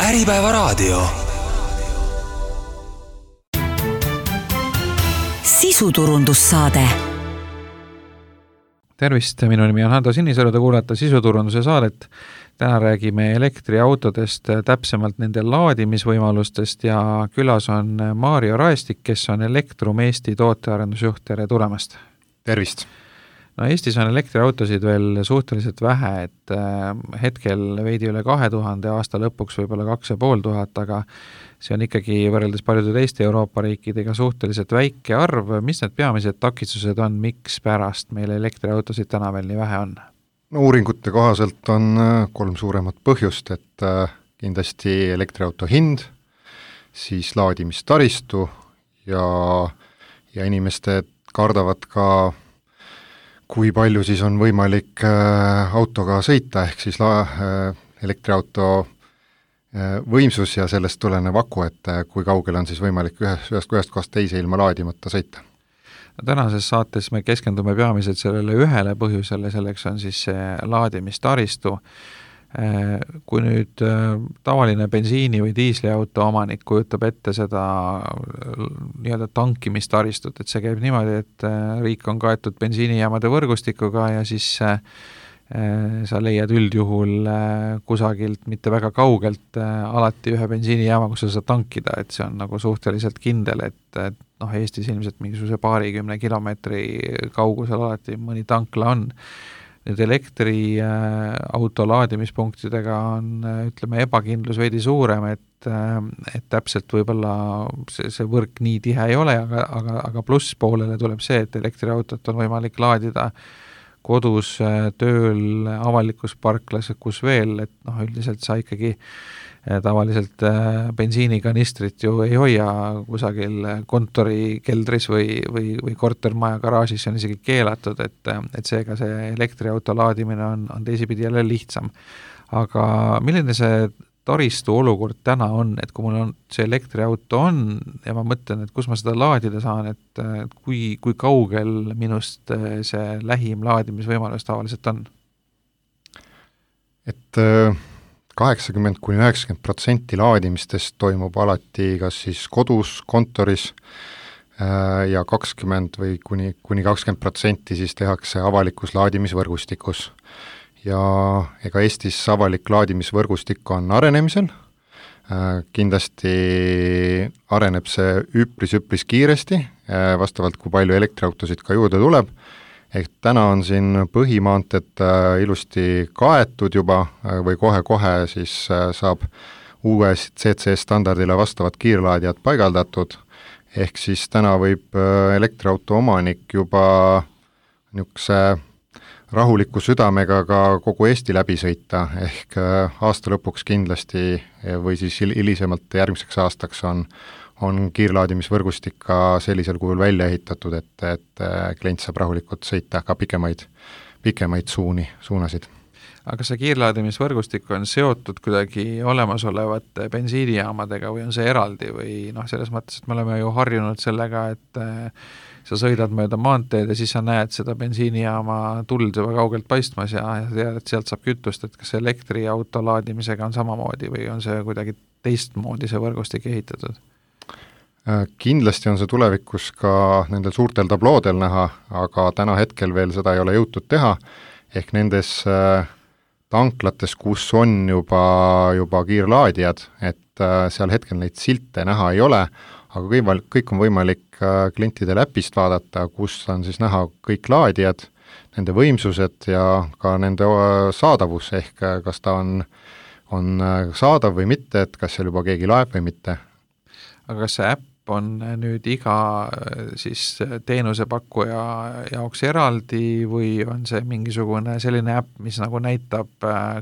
Äripäevaraadio. Sisuturundussaade. Tervist, minu nimi on Hando Sinisalu, te kuulete sisuturunduse saadet. Täna räägime elektriautodest, täpsemalt nende laadimisvõimalustest ja külas on Maarjo Raestik, kes on Elektrum Eesti tootearendusjuht. Tere tulemast! Tervist! No Eestis on elektriautosid veel suhteliselt vähe, et hetkel veidi üle 2000, aasta lõpuks võib-olla 2500, aga see on ikkagi võrreldes paljude teiste Euroopa riikidega suhteliselt väike arv. Mis need peamised takistused on, miks pärast meil elektriautosid täna veel nii vähe on? No, uuringute kohaselt on 3 suuremat põhjust, et kindlasti elektriauto hind, siis laadimistaristu ja inimesed kardavad ka, kui palju siis on võimalik autoga sõita, ehk siis elektriauto võimsus ja sellest tulenev aku, et kui kaugel on siis võimalik ühest kohast teise ilma laadimata sõita. Tänases saates me keskendume peamiselt sellele ühele põhjusele, selleks on siis see laadimistaristu. Kui nüüd tavaline bensiini- või diisliauto omanik kujutab ette seda nii-öelda tankimistaristut, et see käib niimoodi, et riik on kaetud bensiinijaamade võrgustikuga ja siis sa leiad üldjuhul kusagilt, mitte väga kaugelt, alati ühe bensiinijaama, kus sa saad tankida, et see on nagu suhteliselt kindel, et Eestis ilmselt mingisuguse 20 kilomeetri kaugusel alati mõni tankla on. Nüüd elektriauto laadimispunktidega on, ütleme, ebakindlus veidi suurem, et täpselt võib-olla see võrk nii tihe ei ole, aga plusspoolele tuleb see, et elektriautot on võimalik laadida kodus, tööl, avalikus parklas, kus veel, et üldiselt sa ikkagi tavaliselt bensiinikanistrit ju ei hoia kusagil kontori keldris või kortermaja garaažis, see on isegi keelatud, et seega see elektriauto laadimine on teisipidi jälle lihtsam. Aga milline see taristu olukord täna on, et kui mul on see elektriauto on ja ma mõtlen, et kus ma seda laadida saan, et kui kaugel minust see lähim laadimisvõimalus tavaliselt on? Et 80–90% laadimistest toimub alati kas siis kodus, kontoris ja 20 või kuni 20% siis tehakse avalikus laadimisvõrgustikus. Ja ega Eestis avalik laadimisvõrgustik on arenemisel, kindlasti areneb see üpris kiiresti, vastavalt kui palju elektriautosid ka juurde tuleb. Ehk täna on siin põhimaanted ilusti kaetud juba või kohe siis saab uue CCS standardile vastavad kiirlaadijad paigaldatud, ehk siis täna võib elektriauto omanik juba niisuguse rahuliku südamega ka kogu Eesti läbi sõita, ehk aasta lõpuks kindlasti või siis hilisemalt järgmiseks aastaks on kiirlaadimisvõrgustik ka sellisel kujul välja ehitatud, et klient saab rahulikult sõita ka pikemaid suunasid. Aga see kiirlaadimisvõrgustik on seotud kuidagi olemasolevate bensiinijaamadega või on see eraldi või selles mõttes, et me oleme ju harjunud sellega, et sa sõidad mööda maanteed ja siis sa näed seda bensiinijaama tuld juba kaugelt paistmas ja tead, et sealt saab kütust, et kas elektriauto laadimisega on samamoodi või on see kuidagi teistmoodi see võrgustik ehitatud? Kindlasti on see tulevikus ka nendel suurtel tabloodel näha, aga täna hetkel veel seda ei ole jõutud teha, ehk nendes tanklates, kus on juba kiirlaadijad, et seal hetkel neid silte näha ei ole, aga kõik on võimalik klientidel äpist vaadata, kus on siis näha kõik laadijad, nende võimsused ja ka nende saadavus, ehk kas ta on saadav või mitte, et kas seal juba keegi laeb või mitte. Aga kas see äpp on nüüd iga siis teenusepakkuja jaoks eraldi või on see mingisugune selline äpp, mis nagu näitab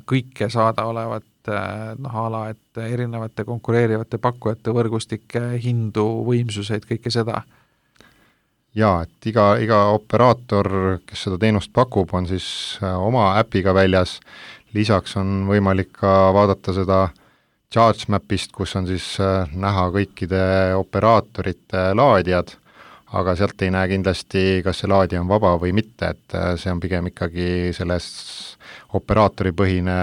kõike saadaolevat ala, et erinevate konkureerivate pakkujate võrgustike hindu, võimsuseid, kõike seda? Jaa, et iga operaator, kes seda teenust pakub, on siis oma äpiga väljas. Lisaks on võimalik ka vaadata seda ChargeMapist, kus on siis näha kõikide operaatorite laadijad, aga sealt ei näe kindlasti, kas see laadija on vaba või mitte, et see on pigem ikkagi selles operaatoripõhine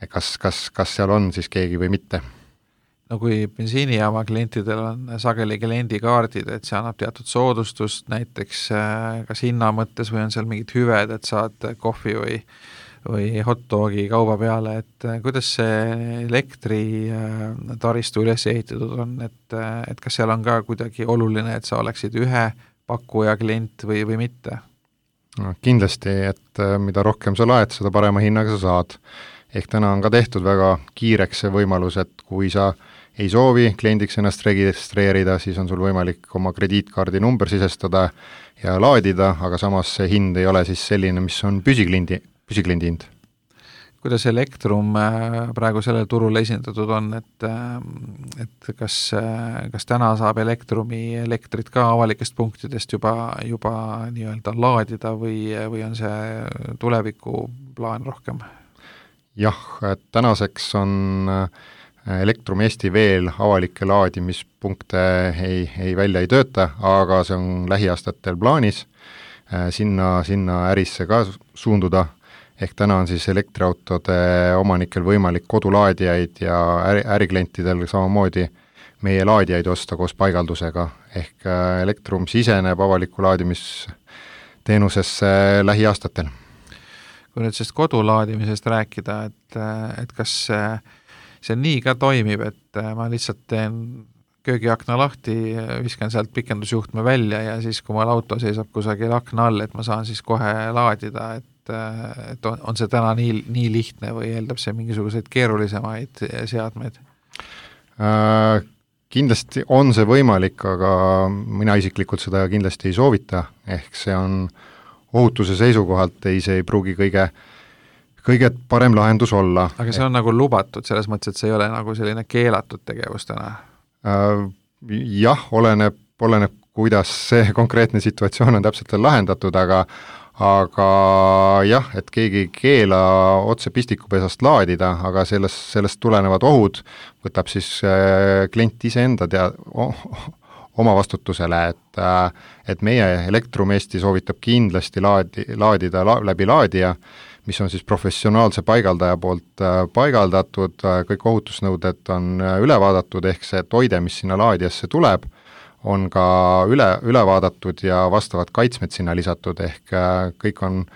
kas seal on siis keegi või mitte. No kui bensiinijaama klientidel on sageli kliendikaardid, et see annab teatud soodustust näiteks kas hinna mõttes või on seal mingid hüved, et saad kohvi või hot dogi kauba peale, et kuidas see elektritaristu üles ehitatud on, et kas seal on ka kuidagi oluline, et sa oleksid ühe pakkuja klient või mitte? No, kindlasti, et mida rohkem sa laed, seda parema hinnaga sa saad. Ehk täna on ka tehtud väga kiireks see võimalus, et kui sa ei soovi kliendiks ennast registreerida, siis on sul võimalik oma krediitkaardi number sisestada ja laadida, aga samas see hind ei ole siis selline, mis on püsikliendi hind. Kuidas Elektrum praegu sellel turul esindatud on, et kas täna saab Elektrumi elektrit ka avalikest punktidest juba nii-öelda laadida või on see tulevikuplaan rohkem? Jah, et tänaseks on Elektrum Eesti veel avalikke laadimispunkte ei välja ei tööta, aga see on lähiaastatel plaanis sinna ärisse ka suunduda. Ehk täna on siis elektriautode omanikel võimalik kodulaadijaid ja äriklientidel samamoodi meie laadijaid osta koos paigaldusega. Ehk Elektrum siseneb avaliku laadimisteenusesse lähiaastatel. Kui nüüd sellest kodulaadimisest rääkida, et kas see nii ka toimib, et ma lihtsalt teen köögiakna lahti, viskan sealt pikendusjuhtme välja ja siis, kui mul auto seisab kusagil akna all, et ma saan siis kohe laadida, et on see täna nii lihtne või eeldab see mingisuguseid keerulisemaid seadmeid? Kindlasti on see võimalik, aga mina isiklikult seda kindlasti ei soovita, ehk see on ohutuse seisukohalt see ei pruugi kõige parem lahendus olla. Aga see on nagu lubatud, selles mõttes, et see ei ole nagu selline keelatud tegevus täna? Jah, oleneb, kuidas see konkreetne situatsioon on täpselt lahendatud, aga jah, et keegi ei keela otse pistikupesast laadida, aga sellest tulenevad ohud võtab siis klient iseenda oma vastutusele, et meie Elektrum Eesti soovitab kindlasti laadida läbi laadija, mis on siis professionaalse paigaldaja poolt paigaldatud, kõik ohutusnõuded on üle vaadatud, ehk see toide, mis sinna laadijasse tuleb, on ka üle vaadatud ja vastavad kaitsmed sinna lisatud, ehk kõik on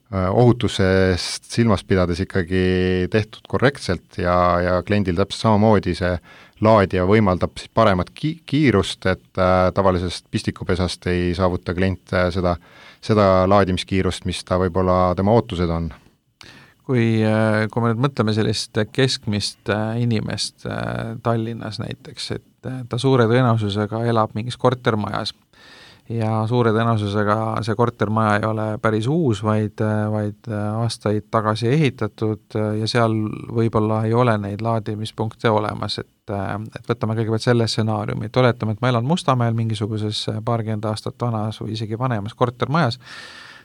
ohutusest silmas pidades ikkagi tehtud korrektselt ja kliendil täpselt samamoodi see laadija võimaldab siis paremat kiirust, et tavalisest pistikupesast ei saavuta klient seda laadimiskiirust, mis ta võib-olla tema ootused on. Kui me nüüd mõtleme sellist keskmist inimest Tallinnas näiteks, et ta suure tõenäosusega elab mingis kortermajas ja suure tõenäosusega see kortermaja ei ole päris uus, vaid aastaid tagasi ehitatud ja seal võib-olla ei ole neid laadimispunkte olemas, et võtame kõigepealt selle stsenaariumi, et oletame, et ma elan Mustamäel mingisuguses paarkümmend aastat vanas või isegi vanemas kortermajas,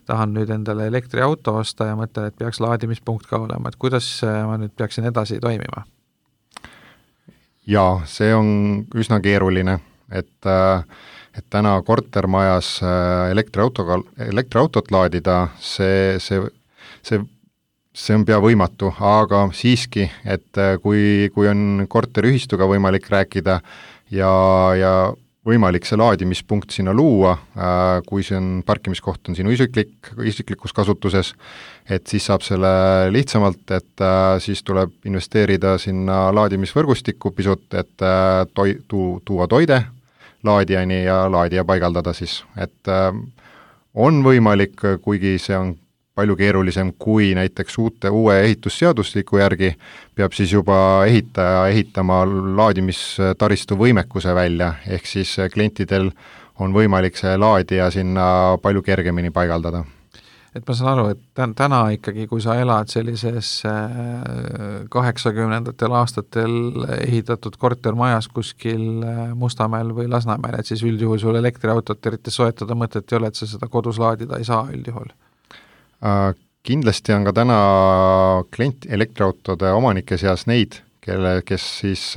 tahan nüüd endale elektriauto osta ja mõtlen, et peaks laadimispunkt ka olema, et kuidas ma nüüd peaksin edasi toimima? Jaa, see on üsna keeruline, et täna kortermajas elektriautot laadida, see on pea võimatu, aga siiski, et kui on korteriühistuga võimalik rääkida ja võimalik see laadimispunkt sinna luua, kui see on parkimiskoht on sinu isiklikus kasutuses, et siis saab selle lihtsamalt, et siis tuleb investeerida sinna laadimisvõrgustikku pisut, et tuua toide laadijani ja laadija paigaldada siis, et on võimalik, kuigi see on palju keerulisem kui näiteks uue ehitusseadusliku järgi, peab siis juba ehitama laadimistaristu võimekuse välja, ehk siis klientidel on võimalik see laadija sinna palju kergemini paigaldada. Et ma saan aru, et täna ikkagi, kui sa elad sellises 80ndatel aastatel ehitatud kortermajas kuskil Mustamäel või Lasnamäel, et siis üldjuhul sul elektriautot eriti soetada mõtet ei ole, et sa seda kodus laadida ei saa üldjuhul? Kindlasti on ka täna elektriautode omanike seas neid, kes siis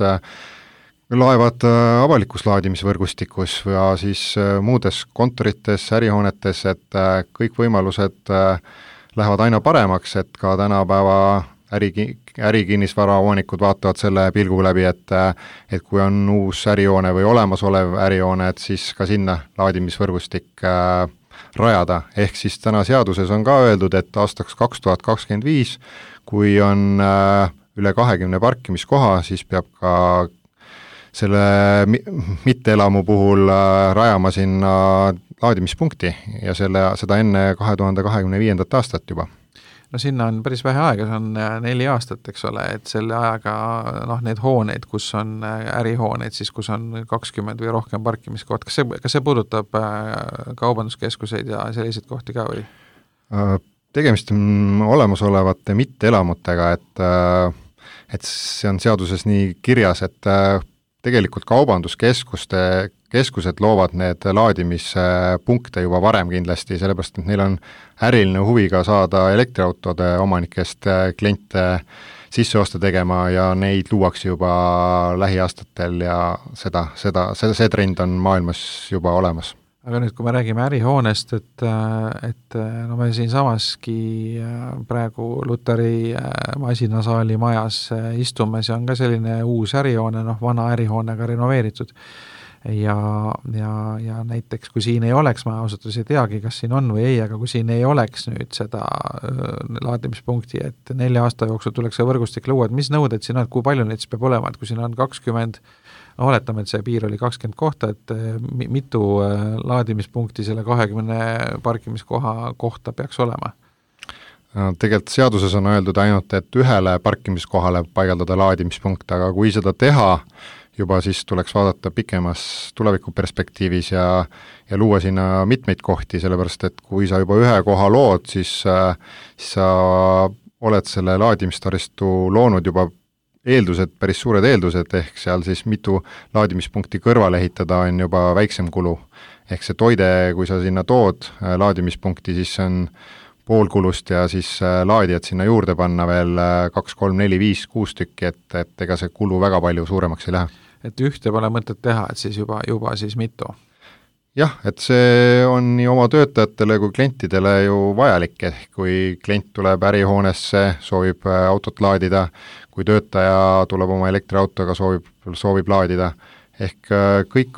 laevad avalikus laadimisvõrgustikus ja siis muudes kontorites, ärihoonetes, et kõik võimalused lähevad aina paremaks, et ka tänapäeva ärikinnisvara omanikud vaatavad selle pilgu läbi, et kui on uus ärihoone või olemasolev ärihoone, et siis ka sinna laadimisvõrgustik rajada, ehk siis täna seaduses on ka öeldud, et aastaks 2025, kui on üle 20 parkimiskoha, siis peab ka selle mitteelamu puhul rajama sinna laadimispunkti ja seda enne 2025. aastat juba. No sinna on päris vähe aega, see on 4 aastat, eks ole, et selle ajaga need hooneid, kus on ärihooneid, siis kus on 20 või rohkem parkimiskoht, kas see puudutab kaubanduskeskuseid ja selliseid kohti ka või? Tegemist on olemasolevate mitteelamutega, et see on seaduses nii kirjas, et tegelikult kaubanduskeskused loovad need laadimispunkte juba varem kindlasti, sellepärast et neil on äriline huvi ka saada elektriautode omanikest kliente sisseoste tegema ja neid luuakse juba lähiaastatel ja see trend on maailmas juba olemas. Aga nüüd, kui me räägime ärihoonest, et no me siinsamaski praegu Luteri masinasaali majas istume, see on ka selline uus ärihoone, vana ärihoonega renoveeritud. Ja näiteks, kui siin ei oleks, ma ausalt ei teagi, kas siin on või ei, aga kui siin ei oleks nüüd seda laadimispunkti, et 4 aasta jooksul tuleks see võrgustik luua, et mis nõuded siin on, kui palju neid siis peab olema, et kui siin on 20, oletame, et see piir oli 20 kohta, et mitu laadimispunkti selle 20 parkimiskoha kohta peaks olema? Tegelikult seaduses on öeldud ainult, et ühele parkimiskohale paigaldada laadimispunkt, aga kui seda teha, juba siis tuleks vaadata pikemas tulevikuperspektiivis ja luua sinna mitmeid kohti, sellepärast et kui sa juba ühe koha lood, siis sa oled selle laadimistaristu loonud juba päris suured eeldused, ehk seal siis mitu laadimispunkti kõrvale ehitada on juba väiksem kulu. Ehk see toide, kui sa sinna tood laadimispunkti, siis see on pool kulust ja siis laadijad sinna juurde panna veel 2, 3, 4, 5, 6 tükki, et ega see kulu väga palju suuremaks ei lähe. Et ühte pole mõtet teha, et siis juba siis mitu? Jah, et see on nii oma töötajatele kui klientidele ju vajalik, ehk kui klient tuleb ärihoonesse, soovib autot laadida, kui töötaja tuleb oma elektriautoga, soovib laadida, ehk kõik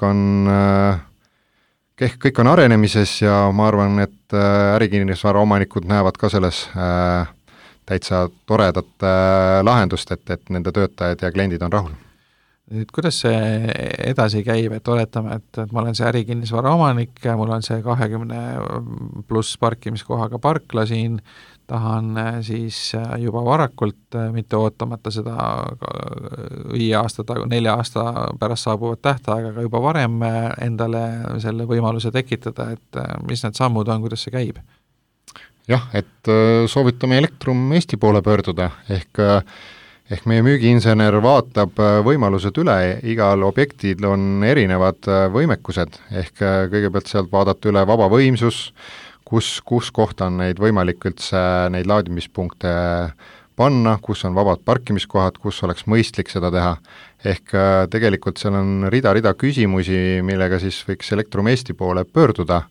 on arenemises ja ma arvan, et ärikinnisvara omanikud näevad ka selles täitsa toredat lahendust, et nende töötajad ja kliendid on rahul. Nüüd, kuidas see edasi käib, et oletame, et ma olen see ärikinnisvara omanik, mul on see 20 pluss parkimiskohaga parkla siin, tahan siis juba varakult, mitte ootamata seda 5 aasta, 4 aasta pärast saabuvat tähtaega, aga juba varem endale selle võimaluse tekitada, et mis need sammud on, kuidas see käib? Jah, et soovitame Elektrum Eesti poole pöörduda, ehk meie müügiinsener vaatab võimalused üle, igal objektil on erinevad võimekused, ehk kõigepealt sealt vaadata üle vaba võimsus, kus kohta on neid võimalik üldse neid laadimispunkte panna, kus on vabad parkimiskohad, kus oleks mõistlik seda teha. Ehk tegelikult seal on rida küsimusi, millega siis võiks Elektrum Eesti poole pöörduda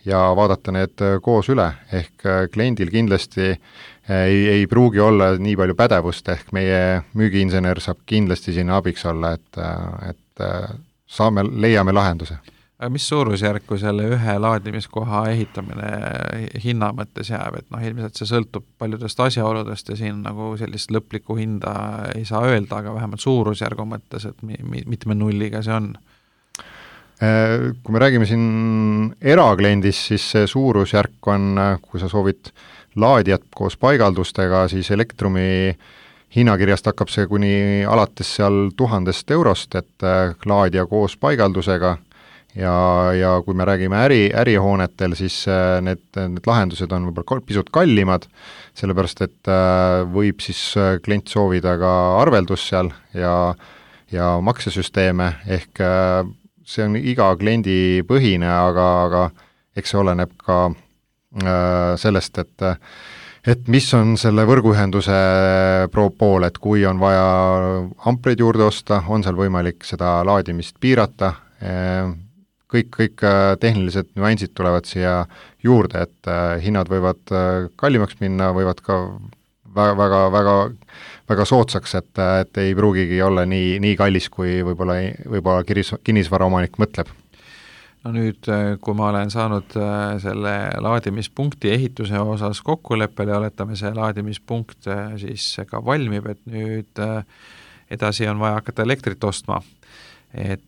ja vaadata need koos üle, ehk kliendil kindlasti ei pruugi olla nii palju pädevust, ehk meie müügiinsener saab kindlasti sinna abiks olla, et leiame lahenduse. Mis suurusjärku selle ühe laadimiskoha ehitamine hinna mõttes jääb, et ilmselt see sõltub paljudest asjaoludest ja siin nagu sellist lõplikku hinda ei saa öelda, aga vähemalt suurusjärgu mõttes, et mitme nulliga see on? Kui me räägime siin erakliendist, siis see suurusjärk on, kui sa soovid laadijat koos paigaldustega, siis Elektrumi hinnakirjast hakkab see kuni alates seal 1000 eurost, et laadija koos paigaldusega ja kui me räägime ärihoonetel, siis need lahendused on võib-olla pisut kallimad, sellepärast et võib siis klient soovida ka arveldus seal ja maksesüsteeme, ehk see on iga kliendi põhine, aga eks see oleneb ka sellest, et mis on selle võrguühenduse pool, et kui on vaja ampleid juurde osta, on seal võimalik seda laadimist piirata, kõik tehnilised nüansid tulevad siia juurde, et hinnad võivad kallimaks minna, võivad ka väga soodsaks, et ei pruugigi olla nii kallis, kui võib-olla kinnisvaraomanik mõtleb. No nüüd, kui ma olen saanud selle laadimispunkti ehituse osas kokkuleppele ja oletame, see laadimispunkt siis ka valmib, et nüüd edasi on vaja hakata elektrit ostma. Et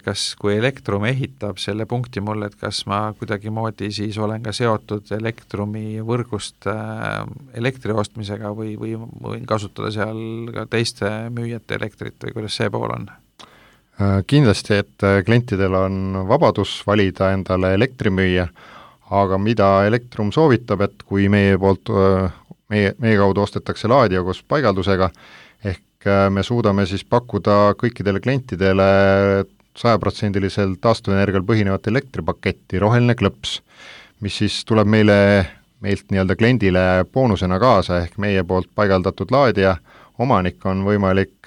kas, kui Elektrum ehitab selle punkti mulle, et kas ma kuidagimoodi siis olen ka seotud Elektrumi võrgust elektri ostmisega või võin kasutada seal ka teiste müüjate elektrit või kuidas see pool on? Kindlasti, et klientidel on vabadus valida endale elektrimüüja, aga mida Elektrum soovitab, et kui meie kaudu ostetakse laadija koos paigaldusega, ehk me suudame siis pakkuda kõikidele klientidele 100% taastuvenergial põhinevat elektripaketti, roheline klõps, mis siis tuleb meilt nii-öelda kliendile boonusena kaasa, ehk meie poolt paigaldatud laadija omanik on võimalik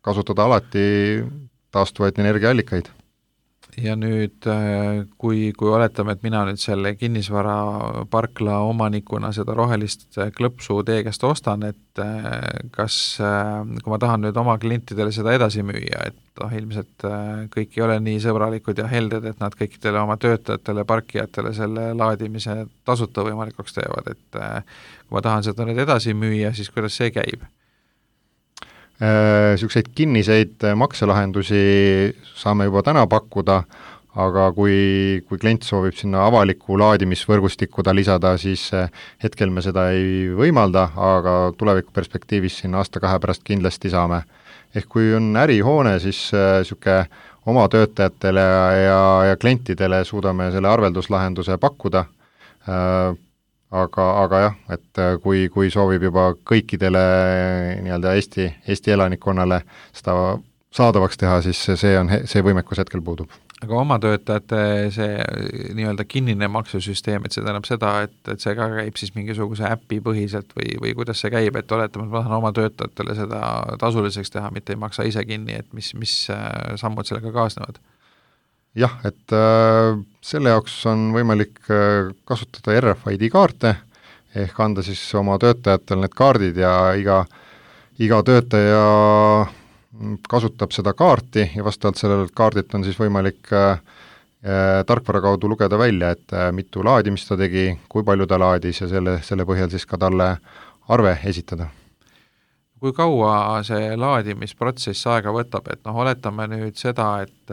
kasutada alati taastuvaid energiaallikaid. Ja nüüd, kui oletame, et mina nüüd selle kinnisvaraparkla omanikuna seda rohelist klõpsu teie käest ostan, et kas, kui ma tahan nüüd oma klientidele seda edasi müüa, et ilmselt kõik ei ole nii sõbralikud ja helded, et nad kõikidele oma töötajatele, parkijatele selle laadimise tasuta võimalikuks teevad, et kui ma tahan seda nüüd edasi müüa, siis kuidas see käib? Niisuguseid kinniseid makselahendusi saame juba täna pakkuda, aga kui klient soovib sinna avaliku laadimisvõrgustikku ta lisada, siis hetkel me seda ei võimalda, aga tulevikuperspektiivis siin aasta-kahe pärast kindlasti saame. Ehk kui on ärihoone, siis niisugune oma töötajatele ja klientidele suudame selle arvelduslahenduse pakkuda, aga jah, et kui soovib juba kõikidele nii-öelda Eesti elanikkonnale seda saadavaks teha, siis see võimekus hetkel puudub. Aga oma töötajate see nii-öelda kinnine maksusüsteem, et see tähendab seda, et see ka käib siis mingisuguse äpi põhiselt või kuidas see käib, et oletame, et ma tahan oma töötajatele seda tasuliseks teha, mitte ei maksa ise kinni, et mis sammud sellega kaasnevad? Jah, et selle jaoks on võimalik kasutada RFID kaarte, ehk anda siis oma töötajatel need kaardid ja iga töötaja kasutab seda kaarti ja vastavalt sellele kaardilt on siis võimalik tarkvara kaudu lugeda välja, et mitu laadimist ta tegi, kui palju ta laadis ja selle põhjal siis ka talle arve esitada. Kui kaua see laadimisprotsess aega võtab, et oletame nüüd seda, et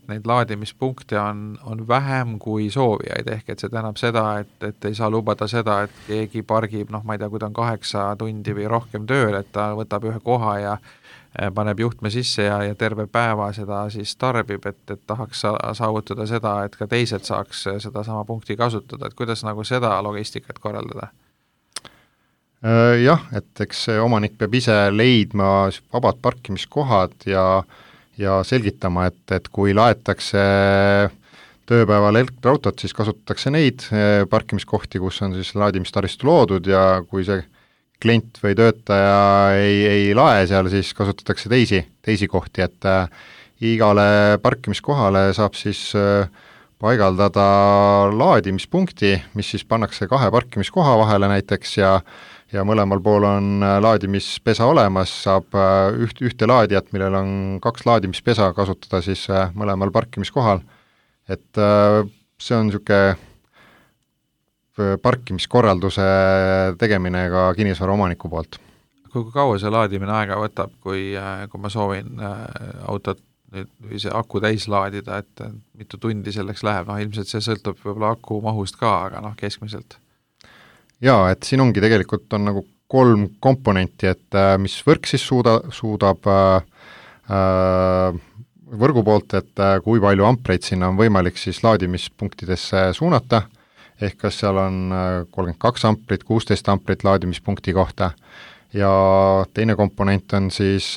neid laadimispunkte on vähem kui soovijaid, ehk et see tähendab seda, et ei saa lubada seda, et keegi pargib, ma ei tea, kui ta on 8 tundi või rohkem tööl, et ta võtab ühe koha ja paneb juhtme sisse ja terve päeva seda siis tarbib, et tahaks saavutada seda, et ka teised saaks seda sama punkti kasutada, et kuidas nagu seda logistikat korraldada? Jah, et eks see omanik peab ise leidma vabad parkimiskohad ja selgitama, et kui laetakse tööpäeval elektriautot, siis kasutatakse neid parkimiskohti, kus on siis laadimistaristu loodud ja kui see klient või töötaja ei lae seal, siis kasutatakse teisi kohti, et igale parkimiskohale saab siis paigaldada laadimispunkti, mis siis pannakse 2 parkimiskoha vahele näiteks ja mõlemal pool on laadimispesa olemas, saab ühte laadijat, millel on 2 laadimispesa kasutada siis mõlemal parkimiskohal. Et see on niisugune parkimiskorralduse tegemine ka kinnisvara omaniku poolt. Kui kaua see laadimine aega võtab, kui ma soovin autot või see aku täis laadida, et mitu tundi selleks läheb, ilmselt see sõltub võib-olla aku mahust ka, aga keskmiselt? Jaa, et siin ongi tegelikult on nagu 3 komponenti, et mis võrk siis suudab võrgu poolt, et kui palju ampreid sinna on võimalik siis laadimispunktidesse suunata, ehk kas seal on 32 amprit, 16 amprit laadimispunkti kohta ja teine komponent on siis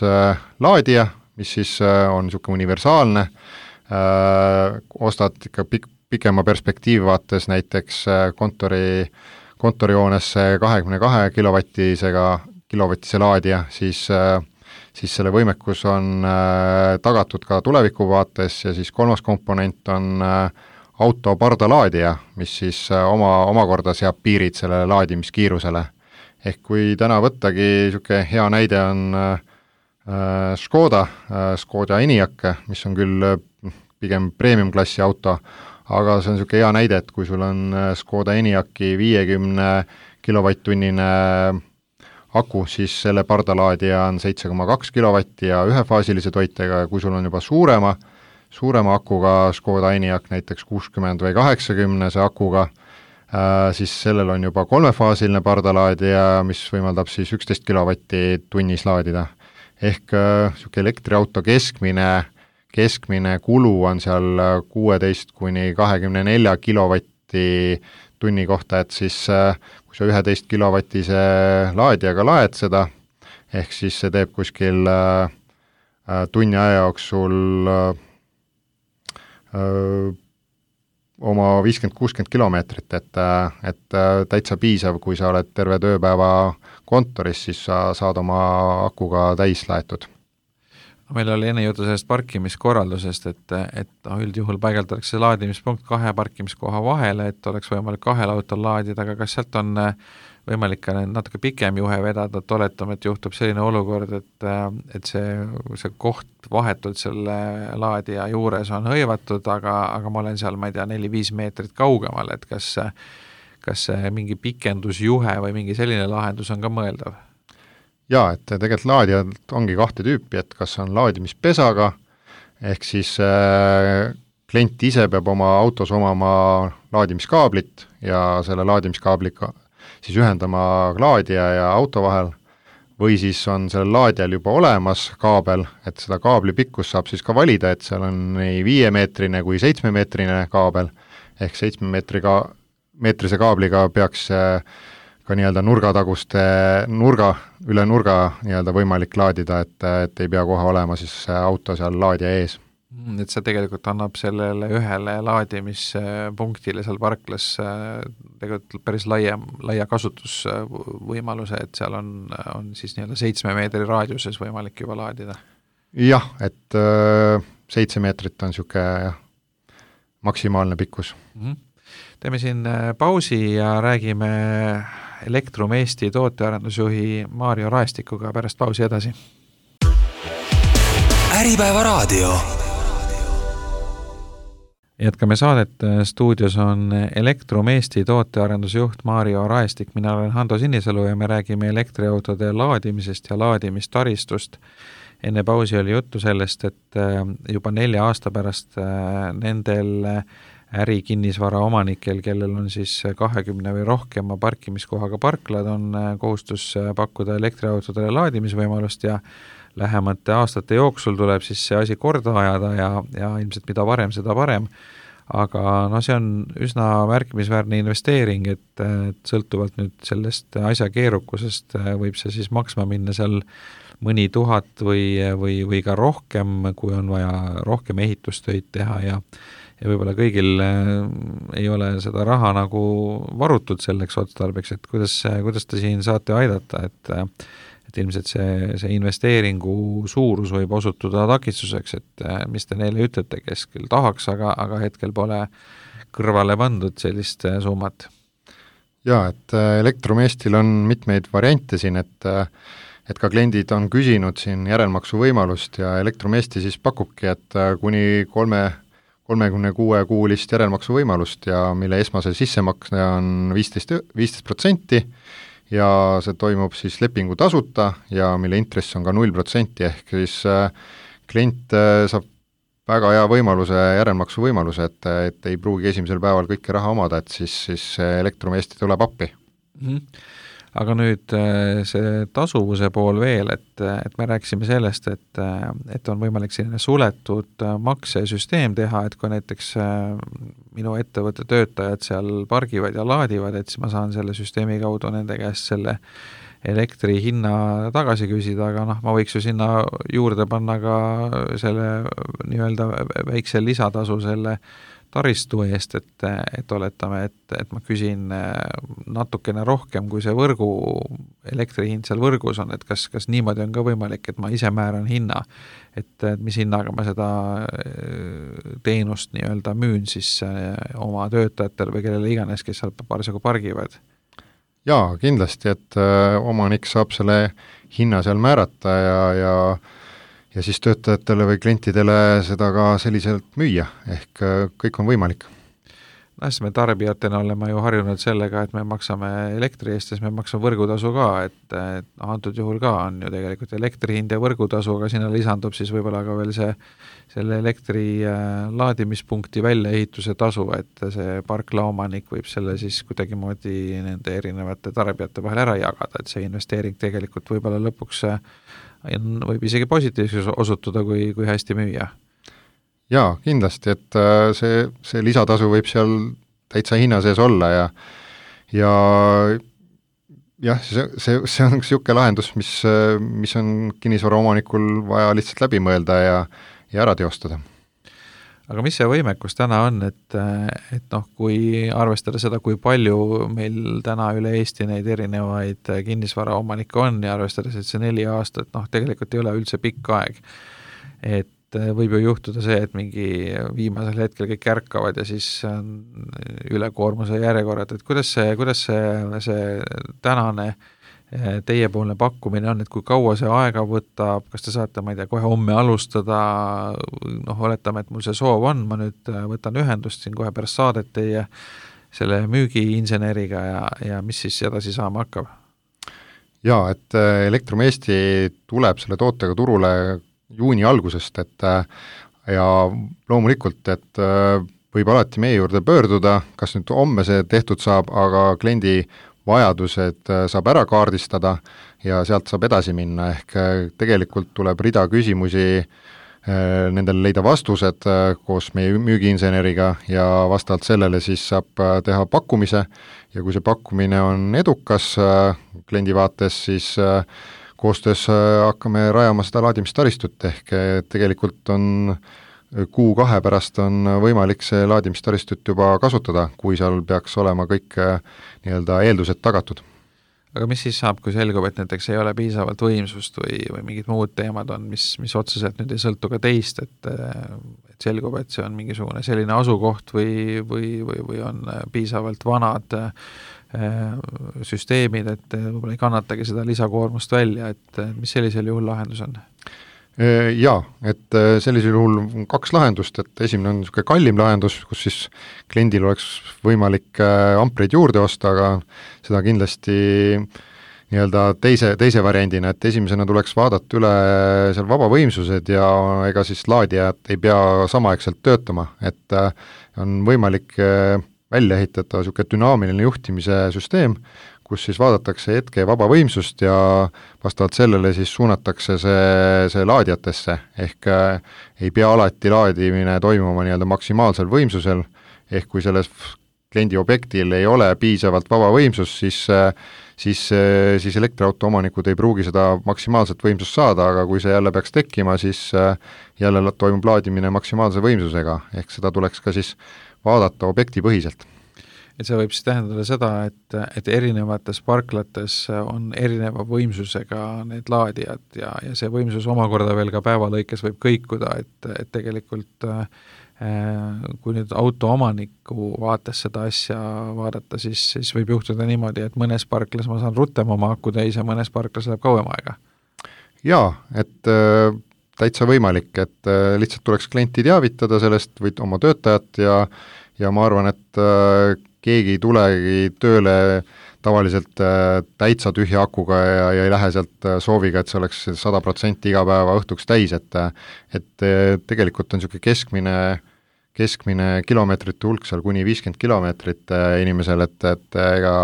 laadija, mis siis on niisugune universaalne, ostad ikka pikema perspektiivi vaates näiteks kontorihoonesse 22 kilovatise laadija, siis selle võimekus on tagatud ka tuleviku vaates ja siis 3. komponent on auto pardalaadija, mis siis omakorda seab piirid sellele laadimiskiirusele. ehk kui täna võttagi niisugune hea näide on Škoda Enyaq, mis on küll pigem premium-klassi auto, aga see on niisugune hea näide, et kui sul on Škoda Enyaqi 50 kilovatt-tunnine aku, siis selle pardalaadija on 7,2 kilovatti ja ühefaasilise toitega, ja kui sul on juba suurema akuga Škoda Enyaq, näiteks 60 või 80 akuga, siis sellel on juba kolmefaasiline pardalaadija, mis võimaldab siis 11 kilovatti tunnis laadida. Ehk niisugune elektriauto keskmine kulu on seal 16 kuni 24 kilovatti tunni kohta, et siis kui sa 11 kilovatise laadijaga laed seda, ehk siis see teeb kuskil tunni aja jooksul oma 50-60 kilomeetrit, et täitsa piisav, kui sa oled terve tööpäeva kontoris, siis sa saad oma akuga täis laetud. Meil oli enne jutu sellest parkimiskorraldusest, et üldjuhul paigaldatakse laadimispunkt 2 parkimiskoha vahele, et oleks võimalik 2 autol laadida, aga kas sealt on võimalik ka natuke pikem juhe vedada, et oletame, et juhtub selline olukord, et see koht vahetult selle laadija juures on hõivatud, aga ma olen seal, ma ei tea, 4-5 meetrit kaugemal, et kas mingi pikendusjuhe või mingi selline lahendus on ka mõeldav? Jaa, et tegelikult laadijad ongi 2 tüüpi, et kas on laadimispesaga, ehk siis klient ise peab oma autos omama laadimiskaablit ja selle laadimiskaabliga siis ühendama laadija ja auto vahel, või siis on sellel laadijal juba olemas kaabel, et seda kaabli pikkus saab siis ka valida, et seal on nii 5-meetrine kui 7-meetrine kaabel, ehk 7-meetrise kaabliga peaks ka nii-öelda üle nurga nii-öelda võimalik laadida, et ei pea kohe olema siis auto seal laadija ees. Et see tegelikult annab sellele ühele laadimispunktile seal parklas tegelikult päris laia kasutusvõimaluse, et seal on siis nii-öelda 7 meetri raadiuses võimalik juba laadida. Jah, et 7 meetrit on niisugune maksimaalne pikkus. Teeme siin pausi ja räägime Elektrum Eesti tootearendusjuhi Maarjo Raestikuga pärast pausi edasi. Äripäeva raadio. Jätkame saadet, stuudios on Elektrum Eesti tootearendusjuht Maarjo Raestik, mina olen Hando Sinisalu ja me räägime elektriautode laadimisest ja laadimistaristust. Enne pausi oli juttu sellest, et juba 4 aasta pärast nendel ärikinnisvara omanikel, kellel on siis 20 või rohkema parkimiskohaga parklad, on kohustus pakkuda elektriautodele laadimisvõimalust ja lähemate aastate jooksul tuleb siis see asi korda ajada ja ilmselt mida varem, seda parem. Aga see on üsna märkimisväärne investeering, et sõltuvalt nüüd sellest asja keerukusest võib see siis maksma minna seal mõni 1000 või ka rohkem, kui on vaja rohkem ehitustöid teha ja võib-olla kõigil ei ole seda raha nagu varutud selleks otstarbeks, et kuidas te siin saate aidata, et ilmselt see investeeringu suurus võib osutuda takistuseks, et mis te neile ütlete, kes küll tahaks, aga hetkel pole kõrvale pandud sellist summat? Jaa, et Elektrum Eestil on mitmeid variante siin, et ka kliendid on küsinud siin järelmaksu võimalust ja Elektrum Eesti siis pakubki, et kuni 36-kuulist järelmaksu võimalust ja mille esmase sissemakse on 15% ja see toimub siis lepingu tasuta ja mille intress on ka 0%, ehk siis klient saab väga hea võimaluse, järelmaksu võimaluse, et ei pruugi esimesel päeval kõike raha omada, et siis Elektrum Eesti tuleb appi. Aga nüüd see tasuvuse pool veel, et me rääkisime sellest, et on võimalik selline suletud maksesüsteem teha, et kui näiteks minu ettevõtte töötajad seal pargivad ja laadivad, et siis ma saan selle süsteemi kaudu nende käest selle elektri hinna tagasi küsida, aga ma võiks ju sinna juurde panna ka selle nii-öelda väikse lisatasu selle taristu eest, et oletame, et ma küsin natukene rohkem, kui see elektrihind seal võrgus on, et kas niimoodi on ka võimalik, et ma ise määran hinna, et mis hinnaga ma seda teenust nii-öelda müün siis oma töötajatele või kellele iganes, kes seal parasjagu pargivad? Jaa, kindlasti, et omanik saab selle hinna seal määrata ja siis töötajatele või klientidele seda ka selliselt müüa, ehk kõik on võimalik. Siis me tarbijatena oleme ju harjunud sellega, et me maksame elektri eest ja siis me maksame võrgutasu ka, et antud juhul ka on ju tegelikult elektri hind ja võrgutasu, aga sinna lisandub siis võib-olla ka veel selle elektri laadimispunkti väljaehituse tasu, et see parklaomanik võib selle siis kuidagimoodi nende erinevate tarbijate vahel ära jagada, et see investeering tegelikult võib-olla lõpuks võib isegi positiivsus osutuda, kui hästi müüa. Jaa, kindlasti, et see lisatasu võib seal täitsa hinna sees olla ja jah, see on niisugune lahendus, mis on kinnisvara omanikul vaja lihtsalt läbi mõelda ja ära teostada. Aga mis see võimekus täna on, et kui arvestada seda, kui palju meil täna üle Eesti neid erinevaid kinnisvara omanikke on ja arvestades, et see 4 aastat, tegelikult ei ole üldse pikk aeg, et võib ju juhtuda see, et mingi viimasel hetkel kõik ärkavad ja siis ülekoormuse järjekorrad, et kuidas see tänane teiepoolne pakkumine on, et kui kaua see aega võtab, kas te saate, ma ei tea, kohe homme alustada, oletame, et mul see soov on, ma nüüd võtan ühendust siin kohe pärast saadet teie selle müügiinseneriga ja mis siis edasi saama hakkab? Jaa, et Elektrum Eesti tuleb selle tootega turule juuni algusest, ja loomulikult, et võib alati meie juurde pöörduda, kas nüüd homme see tehtud saab, aga kliendi vajadused saab ära kaardistada ja sealt saab edasi minna, ehk tegelikult tuleb rida küsimusi nendele leida vastused koos meie müügiinseneriga ja vastavalt sellele siis saab teha pakkumise ja kui see pakkumine on edukas kliendi vaates, siis koostöös hakkame rajama seda laadimistaristut, ehk tegelikult on 1-2 pärast on võimalik see laadimistaristut juba kasutada, kui seal peaks olema kõik nii-öelda eeldused tagatud. Aga mis siis saab, kui selgub, et näiteks ei ole piisavalt võimsust või mingid muud teemad on, mis otseselt nüüd ei sõltu ka teist, et selgub, et see on mingisugune selline asukoht või on piisavalt vanad süsteemid, et võib-olla ei kannatagi seda lisakoormust välja, et mis sellisel juhul lahendus on? Jaa, et sellisel juhul on 2 lahendust, et esimene on niisugune kallim lahendus, kus siis kliendil oleks võimalik ampreid juurde osta, aga seda kindlasti nii-öelda teise variandina, et esimesena tuleks vaadata üle seal vabavõimsused ja ega siis laadijad ei pea samaaegselt töötama, et on võimalik välja ehitada niisugune dünaamiline juhtimise süsteem, kus siis vaadatakse hetke vabavõimsust ja vastavalt sellele siis suunatakse see laadijatesse, ehk ei pea alati laadimine toimuma nii-öelda maksimaalsel võimsusel, ehk kui selles kliendi objektil ei ole piisavalt vabavõimsust, siis elektriauto omanikud ei pruugi seda maksimaalset võimsust saada, aga kui see jälle peaks tekkima, siis jälle toimub laadimine maksimaalse võimsusega, ehk seda tuleks ka siis vaadata objektipõhiselt. Et see võib siis tähendada seda, et erinevates parklates on erineva võimsusega need laadijad ja see võimsus omakorda veel ka päevalõikes võib kõikuda, et tegelikult kui nüüd auto omaniku vaates seda asja vaadata, siis võib juhtuda niimoodi, et mõnes parklas ma saan rutem oma aku täis ja mõnes parklas läheb kauem aega. Jaa, et täitsa võimalik, et lihtsalt tuleks klienti teavitada sellest või oma töötajat ja ma arvan, et keegi ei tulegi tööle tavaliselt täitsa tühja akuga ja ei lähe sealt sooviga, et see oleks 100% iga päeva õhtuks täis, et tegelikult on niisugune keskmine kilomeetrite hulk seal kuni 50 kilomeetrit inimesel, et ega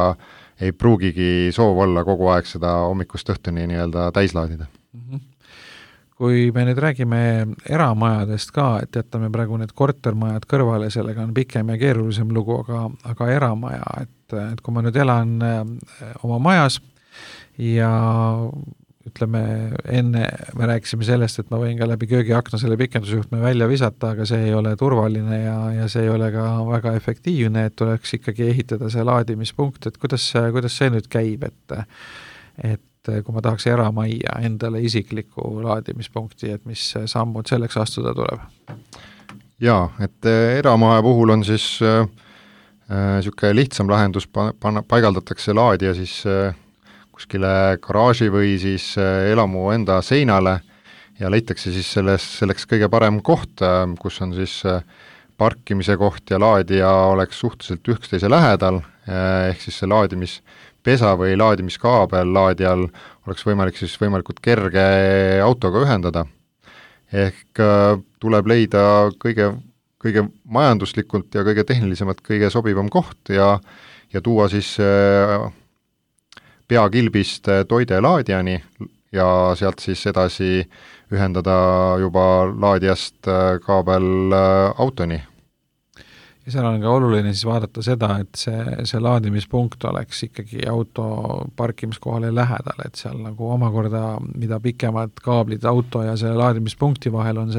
ei pruugigi soov olla kogu aeg seda hommikust õhtuni nii-öelda täis laadida. Kui me nüüd räägime eramajadest ka, et jätame praegu need kortermajad kõrvale, sellega on pikem ja keerulisem lugu, aga eramaja, et kui ma nüüd elan oma majas ja ütleme, enne me rääkisime sellest, et ma võin ka läbi köögiakna selle pikendusjuhtme välja visata, aga see ei ole turvaline ja see ei ole ka väga efektiivne, et tuleks ikkagi ehitada see laadimispunkt, et kuidas see nüüd käib, et kui ma tahaks eramajja endale isikliku laadimispunkti, et mis sammud selleks astuda tuleb? Jaa, et eramaja puhul on siis Niisugune lihtsam lahendus paigaldatakse laadija siis kuskile garaaži või siis elamu enda seinale ja leitakse siis selleks kõige parem koht, kus on siis parkimise koht ja laadija oleks suhteliselt üksteise lähedal, ehk siis see laadimispesa või laadimiskaabel laadijal oleks võimalik siis võimalikult kerge autoga ühendada. Ehk tuleb leida kõige majanduslikult ja kõige tehnilisemalt kõige sobivam koht ja tuua siis peakilbist toide laadijani ja sealt siis edasi ühendada juba laadijast kaabel autoni. Ja seal on ka oluline siis vaadata seda, et see laadimispunkt oleks ikkagi auto parkimiskohale lähedal, et seal nagu omakorda, mida pikemad kaablid auto ja selle laadimispunkti vahel on,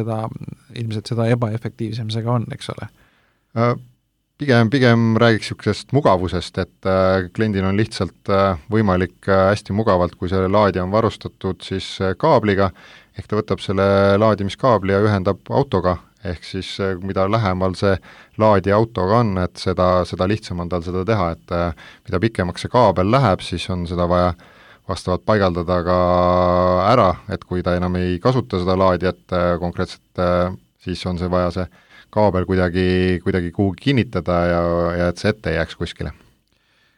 ilmselt seda ebaefektiivsem see ka on, eks ole? Pigem räägiks niisugusest mugavusest, et kliendil on lihtsalt võimalik hästi mugavalt, kui see laadija on varustatud siis kaabliga, ehk ta võtab selle laadimiskaabli ja ühendab autoga, ehk siis mida lähemal see laadija autoga on, et seda lihtsam on tal seda teha, et mida pikemaks see kaabel läheb, siis on seda vaja vastavalt paigaldada ka ära, et kui ta enam ei kasuta seda laadijat konkreetselt, siis on see vaja see kaabel kuidagi kuhugi kinnitada ja et see ette ei jääks kuskile.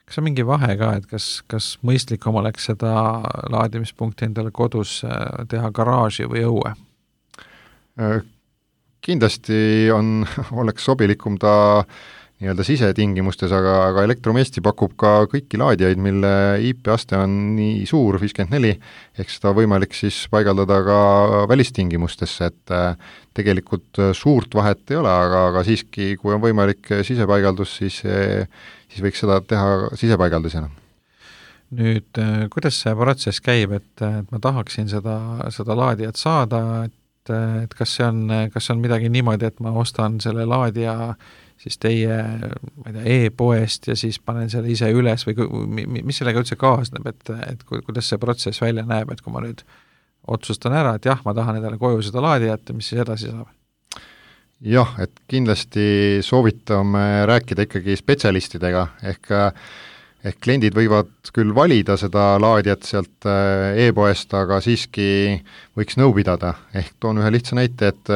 Kas on mingi vahe ka, et kas mõistlikum oleks seda laadimispunkti endale kodus teha garaaži või õue? Kindlasti oleks sobilikum ta nii-öelda sisetingimustes, aga Elektromeesti pakub ka kõiki laadijaid, mille IP-aste on nii suur, 54, ehk seda võimalik siis paigaldada ka välistingimustesse, et tegelikult suurt vahet ei ole, aga siiski, kui on võimalik sisepaigaldus, siis võiks seda teha sisepaigaldusena. Nüüd, kuidas see protsess käib, et ma tahaksin seda laadijat saada, et kas see on midagi niimoodi, et ma ostan selle laadija siis teie, ma ei tea, e-poest ja siis panen selle ise üles või mis sellega üldse kaasneb, et kuidas see protsess välja näeb, et kui ma nüüd otsustan ära, et jah, ma tahan endale koju seda laadijat, mis siis edasi saab? Jah, et kindlasti soovitame rääkida ikkagi spetsialistidega, ehk kliendid võivad küll valida seda laadijat sealt e-poest, aga siiski võiks nõu pidada, ehk toon ühe lihtsa näite, et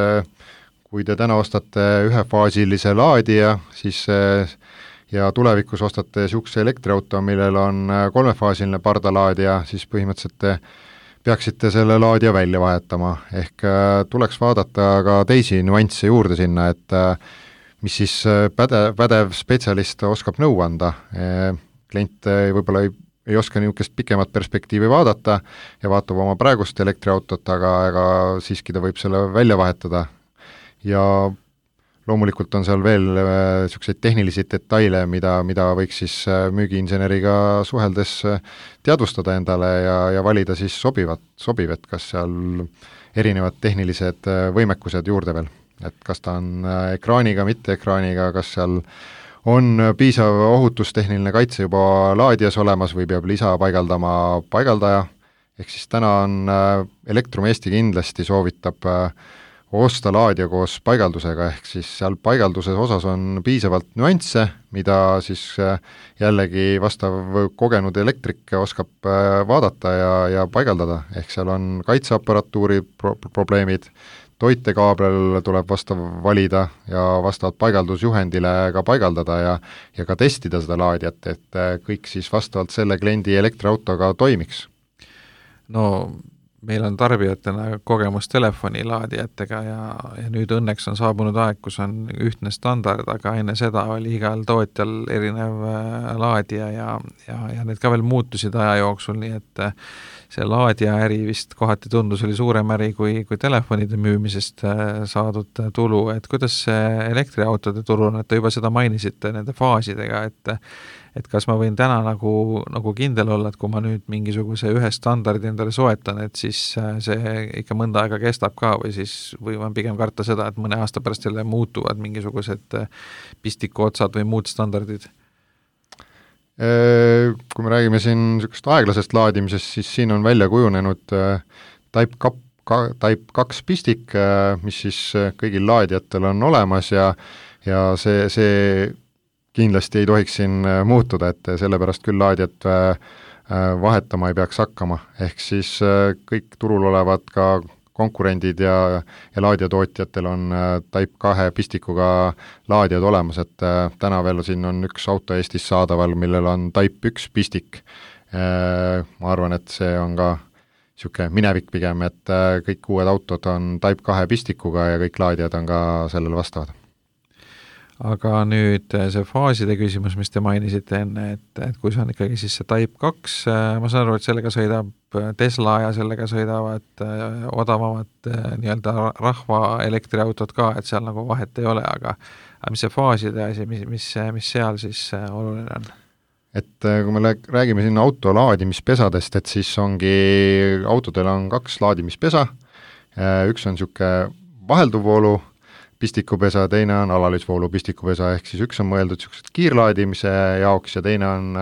kui te täna ostate ühefaasilise laadija, siis ja tulevikus ostate niisuguse elektriauto, millel on kolmefaasiline pardalaadija, siis põhimõtteliselt te peaksite selle laadija välja vahetama, ehk tuleks vaadata ka teisi nüansse juurde sinna, et mis siis pädev spetsialist oskab nõu anda. Klient võib-olla ei oska niisugust pikemat perspektiivi vaadata ja vaatab oma praegust elektriautot, aga siiski ta võib selle välja vahetada. Ja loomulikult on seal veel niisuguseid tehnilisi detaile, mida võiks siis müügiinseneriga suheldes teadvustada endale ja valida siis sobiv, et kas seal erinevad tehnilised võimekused juurde veel, et kas ta on ekraaniga, mitte ekraaniga, kas seal on piisav ohutustehniline kaitse juba laadijas olemas või peab lisa paigaldama paigaldaja, ehk siis täna on Elektromeesti kindlasti soovitab osta laadija koos paigaldusega, ehk siis seal paigalduses osas on piisavalt nüansse, mida siis jällegi vastav kogenud elektrik oskab vaadata ja paigaldada, ehk seal on kaitseaparatuuri probleemid, toitekaabel tuleb vastav valida ja vastavalt paigaldusjuhendile ka paigaldada ja ka testida seda laadijat, et kõik siis vastavalt selle kliendi elektriautoga toimiks. No meil on tarbijatena kogemus telefonilaadijatega ja nüüd õnneks on saabunud aeg, kus on ühtne standard, aga enne seda oli igal tootjal erinev laadija ja need ka veel muutusid aja jooksul, nii et see laadija äri vist kohati tundus oli suurem äri kui telefonide müümisest saadud tulu, et kuidas see elektriautode turul, et te juba seda mainisite nende faasidega, et kas ma võin täna nagu kindel olla, et kui ma nüüd mingisuguse ühe standardi endale soetan, et siis see ikka mõnda aega kestab ka või ma pigem karta seda, et mõne aasta pärast jälle muutuvad mingisugused pistikuotsad või muud standardid? Kui me räägime siin niisugust aeglasest laadimisest, siis siin on välja kujunenud Type 2 pistik, mis siis kõigil laadijatel on olemas ja see kindlasti ei tohiks siin muutuda, et sellepärast küll laadijat vahetama ei peaks hakkama, ehk siis kõik turul olevad ka konkurendid ja laadijatootjatel on Type 2 pistikuga laadijad olemas, et täna veel siin on üks auto Eestis saadaval, millel on Type 1 pistik. Ma arvan, et see on ka niisugune minevik pigem, et kõik uued autod on Type 2 pistikuga ja kõik laadijad on ka sellele vastavad. Aga nüüd see faaside küsimus, mis te mainisite enne, et kui see on ikkagi siis see Type 2, ma saan aru, et sellega sõidab Tesla ja sellega sõidavad odavamad nii-öelda rahva elektriautod ka, et seal nagu vahet ei ole, aga mis see faaside asi, mis seal siis oluline on? Et kui me räägime siin auto laadimispesadest, et siis ongi, autodel on 2 laadimispesa, üks on niisugune vahelduvvoolu pistikupesa, teine on alalisvoolu pistikupesa, ehk siis üks on mõeldud niisugused kiirlaadimise jaoks ja teine on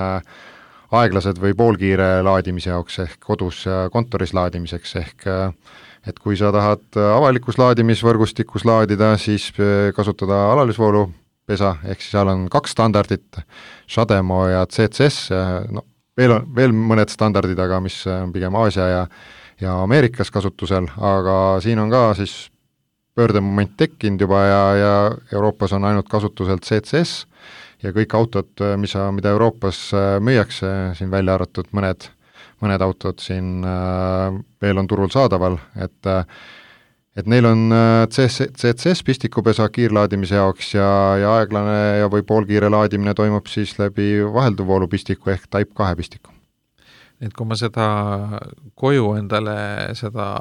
aeglased või poolkiire laadimise jaoks ehk kodus ja kontoris laadimiseks, ehk et kui sa tahad avalikus laadimisvõrgustikus laadida, siis kasutada alalisvoolu pesa, ehk siis seal on 2 standardit, Shademo ja CCS, no veel mõned standardid, aga mis on pigem Aasia ja Ameerikas kasutusel, aga siin on ka siis pöördemoment tekkinud juba ja Euroopas on ainult kasutusel CCS ja kõik autod, mida Euroopas müüakse, siin välja arvatud mõned autod siin veel on turul saadaval, et neil on CCS pistikupesa kiirlaadimise jaoks ja aeglane ja või poolkiire laadimine toimub siis läbi vahelduvvoolu pistiku ehk Type 2 pistiku. Et kui ma seda koju endale seda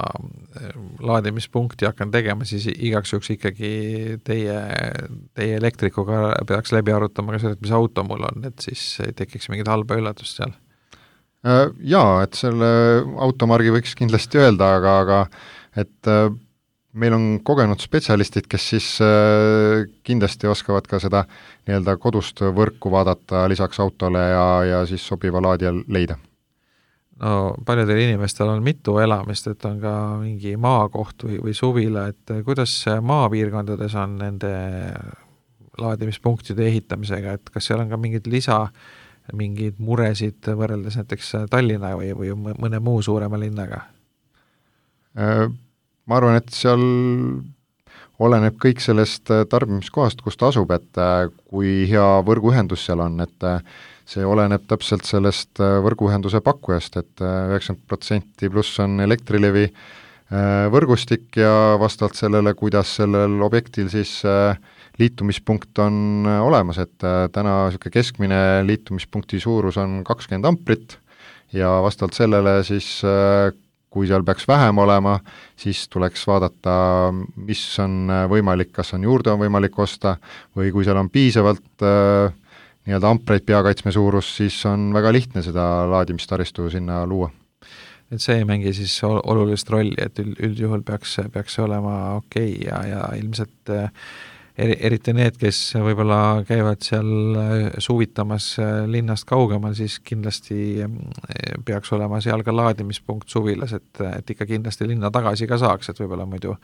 laadimispunkti hakkan tegema, siis igaks juhuks ikkagi teie elektrikuga peaks läbi arutama ka selle, et mis auto mul on, et siis ei tekiks mingit halba üllatust seal. Jaa, et selle automargi võiks kindlasti öelda, aga et meil on kogenud spetsialistid, kes siis kindlasti oskavad ka seda nii-öelda kodust võrku vaadata lisaks autole ja siis sobiva laadija leida. No paljudel inimestel on mitu elamist, et on ka mingi maakoht või suvila, et kuidas maapiirkondades on nende laadimispunktide ehitamisega, et kas seal on ka mingeid muresid võrreldes näiteks Tallinna või mõne muu suurema linnaga? Ma arvan, et seal oleneb kõik sellest tarbimiskohast, kus ta asub, et kui hea võrguühendus seal on, et see oleneb täpselt sellest võrguühenduse pakkujast, et 90% pluss on Elektrilevi võrgustik ja vastavalt sellele, kuidas sellel objektil siis liitumispunkt on olemas, et täna niisugune keskmine liitumispunkti suurus on 20 amprit ja vastavalt sellele siis kui seal peaks vähem olema, siis tuleks vaadata, mis on võimalik, kas on juurde on võimalik osta või kui seal on piisavalt nii-öelda ampreid peakaitsme suurus, siis on väga lihtne seda laadimistaristu sinna luua. Et see ei mängi siis olulist rolli, et üldjuhul peaks see olema okei ja ilmselt eriti need, kes võib-olla käivad seal suvitamas linnast kaugemal, siis kindlasti peaks olema seal ka laadimispunkt suvilas, et ikka kindlasti linna tagasi ka saaks, et võib-olla muidu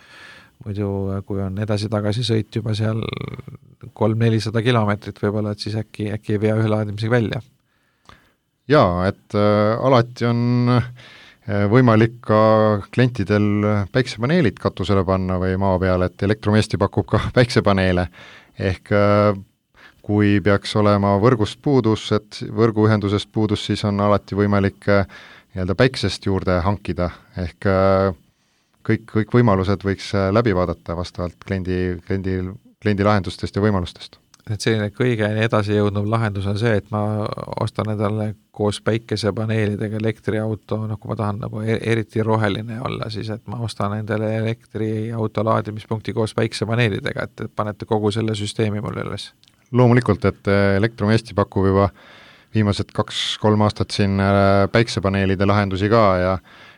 kui on edasi-tagasi sõit juba seal 300-400 kilomeetrit võib-olla, et siis äkki ei vea ühe laadimisega välja. Jaa, et alati on võimalik ka klientidel päiksepaneelid katusele panna või maa peale, et Elektromeesti pakub ka päiksepaneele, ehk kui peaks olema võrgust puudus, et võrguühendusest puudus, siis on alati võimalik nii-öelda päiksest juurde hankida, ehk kõik võimalused võiks läbi vaadata vastavalt kliendi lahendustest ja võimalustest. Et selline kõige edasi jõudnud lahendus on see, et ma ostan endale koos päikesepaneelidega elektriauto, kui ma tahan nagu eriti roheline olla, siis et ma ostan endale elektriauto laadimispunkti koos päikesepaneelidega, et panete kogu selle süsteemi mulle üles. Loomulikult, et Elektromeesti pakub juba viimased 2-3 aastat siin päikesepaneelide lahendusi ka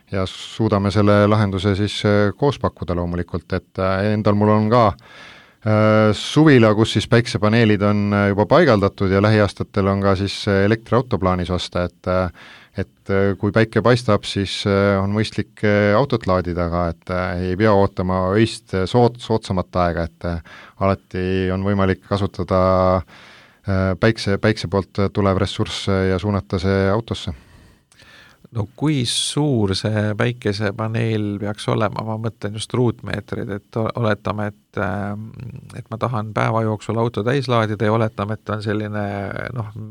ja suudame selle lahenduse siis koos pakkuda loomulikult, et endal mul on ka suvila, kus siis päiksepaneelid on juba paigaldatud ja lähiaastatel on ka siis elektriauto plaanis osta, et kui päike paistab, siis on mõistlik autot laadida ka, et ei pea ootama öist soodsamat aega, et alati on võimalik kasutada päikse poolt tulev ressurss ja suunata see autosse. No kui suur see päikesepaneel peaks olema, ma mõtlen just ruutmeetrid, et oletame, et ma tahan päeva jooksul auto täis laadida ja oletame, et on selline,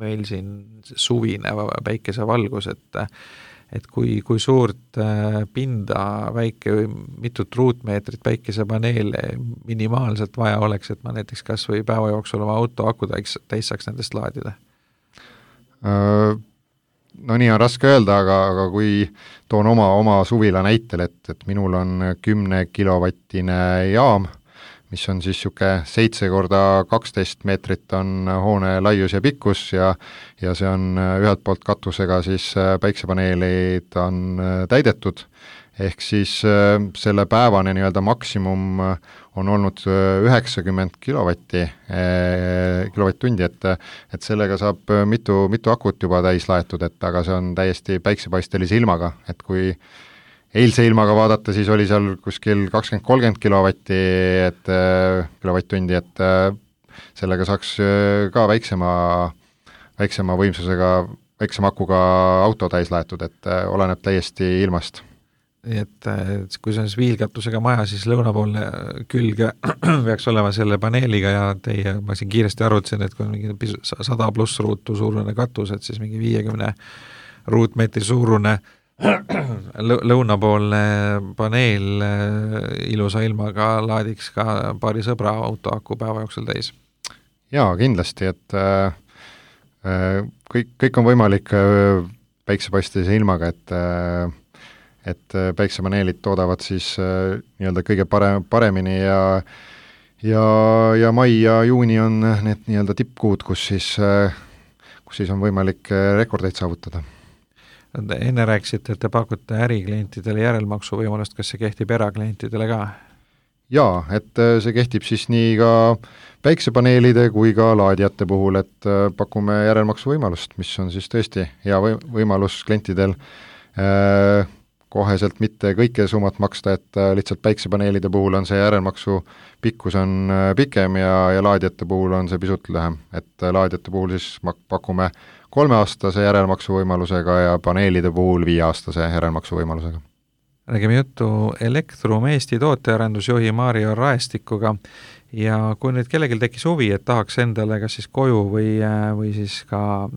meil siin suvine päikesevalgus, et kui suurt pinda mitut ruutmeetrit päikesepaneele minimaalselt vaja oleks, et ma näiteks kas või päeva jooksul oma auto aku täis saaks nendest laadida? No nii on raske öelda, aga kui toon oma suvila näitel, et minul on 10 kilovattine jaam, mis on siis siuke 7 korda 12 meetrit on hoone laius ja pikkus ja see on ühelt poolt katusega siis päiksepaneelid on täidetud, ehk siis selle päevane nii-öelda maksimum on olnud 90 kilovatt-tundi, et sellega saab mitu akut juba täis laetud, aga see on täiesti päiksepaistelise ilmaga, et kui eilse ilmaga vaadata, siis oli seal kuskil 20-30 kilovatt-tundi, et sellega saaks ka väiksema võimsusega, väiksema akuga auto täis laetud, et oleneb täiesti ilmast. Nii et kui see on viilkatusega maja, siis lõunapoolne külge peaks olema selle paneeliga ja ma siin kiiresti arvutasin, et kui on mingi 100 pluss ruutu suurune katus, et siis mingi 50 ruutmeetri suurune lõunapoolne paneel ilusa ilmaga laadiks ka paari sõbra autoaku päeva jooksul täis. Jaa, kindlasti, et kõik on võimalik päiksepaistelise ilmaga, et päiksepaneelid toodavad siis nii-öelda kõige paremini ja mai ja juuni on need nii-öelda tippkuud, kus siis on võimalik rekordeid saavutada. Enne rääkisite, et te pakute äriklientidele järelmaksu võimalust, kas see kehtib eraklientidele ka? Jaa, et see kehtib siis nii ka päiksepaneelide kui ka laadijate puhul, et pakume järelmaksu võimalust, mis on siis tõesti hea võimalus klientidel koheselt mitte kõike summat maksta, et lihtsalt päiksepaneelide puhul on see järelmaksu pikkus on pikem ja laadijate puhul on see pisut lühem, et laadijate puhul siis pakume 3-aastase järelmaksu võimalusega ja paneelide puhul 5-aastase järelmaksu võimalusega. Räägime juttu Elektrum Eesti tootearendusjuhi Mario Raestikuga ja kui nüüd kellelgi tekkis huvi, et tahaks endale kas siis koju või siis ka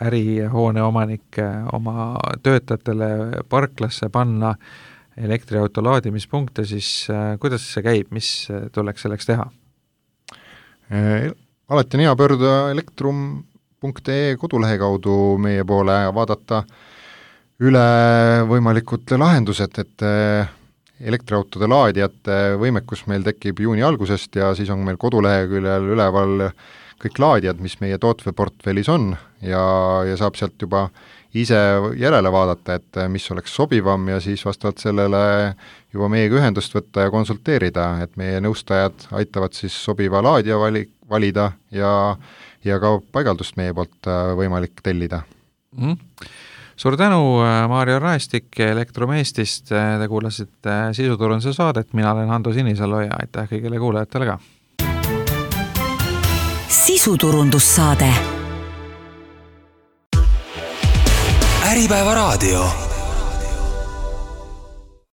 ärihoone omanik oma töötajatele parklasse panna elektriauto laadimispunkte, siis kuidas see käib, mis tuleks selleks teha? Alati on hea pöörduda elektrum.ee kodulehe kaudu meie poole ja vaadata üle võimalikud lahendused, et elektriautode laadijate võimekus meil tekib juuni algusest ja siis on meil koduleheküljel üleval kõik laadijad, mis meie tootveportfellis on ja saab sealt juba ise järele vaadata, et mis oleks sobivam ja siis vastavalt sellele juba meiega ühendust võtta ja konsulteerida, et meie nõustajad aitavad siis sobiva laadija valida ja ka paigaldust meie poolt võimalik tellida. Suur tänu, Mario Raestik Elektrum Eestist, te kuulasite Sisuturunduse saadet, mina olen Hando Sinisalu ja aitäh kõigile kuulajatele ka. Sisuturundussaade. Äripäeva raadio.